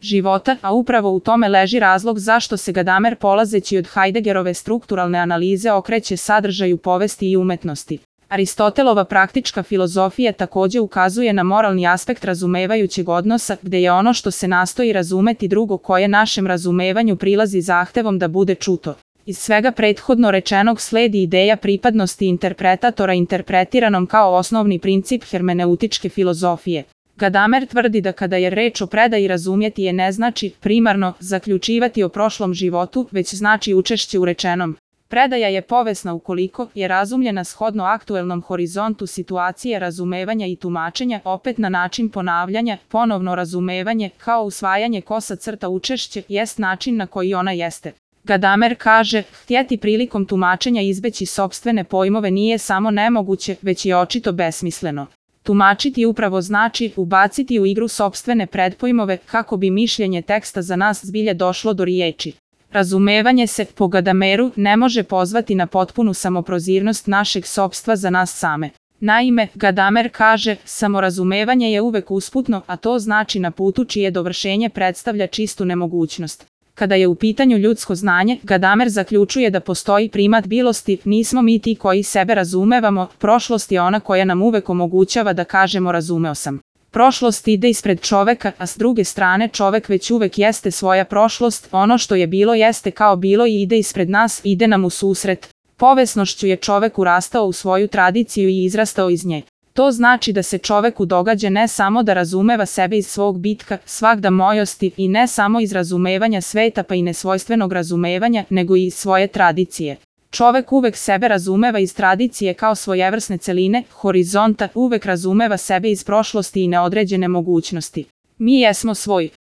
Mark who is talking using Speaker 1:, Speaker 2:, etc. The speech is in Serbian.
Speaker 1: života, a upravo u tome leži razlog zašto se Gadamer polazeći od Heideggerove strukturalne analize okreće sadržaju povesti i umetnosti. Aristotelova praktička filozofija takođe ukazuje na moralni aspekt razumevajućeg odnosa, gde je ono što se nastoji razumeti drugo koje našem razumevanju prilazi zahtevom da bude čuto. Iz svega prethodno rečenog sledi ideja pripadnosti interpretatora interpretiranom kao osnovni princip hermeneutičke filozofije. Gadamer tvrdi da kada je reč o predaji razumjeti je ne znači, primarno, zaključivati o prošlom životu, već znači učešće u rečenom. Predaja je povesna ukoliko je razumljena shodno aktuelnom horizontu situacije razumevanja i tumačenja, opet na način ponavljanja, ponovno razumevanje, kao usvajanje kosa crta učešće, jest način na koji ona jeste. Gadamer kaže, htjeti prilikom tumačenja izbeći sopstvene pojmove nije samo nemoguće, već je očito besmisleno. Tumačiti upravo znači ubaciti u igru sopstvene predpojmove kako bi mišljenje teksta za nas zbilje došlo do riječi. Razumevanje se, po Gadameru, ne može pozvati na potpunu samoprozirnost našeg sopstva za nas same. Naime, Gadamer kaže, samorazumevanje je uvek usputno, a to znači na putu čije dovršenje predstavlja čistu nemogućnost. Kada je u pitanju ljudsko znanje, Gadamer zaključuje da postoji primat bilosti, nismo mi ti koji sebe razumevamo, prošlost je ona koja nam uvek omogućava da kažemo razumeo sam. Prošlost ide ispred čoveka, a s druge strane čovek već uvek jeste svoja prošlost, ono što je bilo jeste kao bilo i ide ispred nas, ide nam u susret. Povesnošću je čovek urastao u svoju tradiciju i izrastao iz nje. To znači da se čoveku događa ne samo da razumeva sebe iz svog bitka, svagda mojosti i ne samo iz razumevanja sveta pa i nesvojstvenog razumevanja, nego i iz svoje tradicije. Čovek uvek sebe razumeva iz tradicije kao svojevrsne celine, horizonta, uvek razumeva sebe iz prošlosti i neodređene mogućnosti. Mi jesmo svoj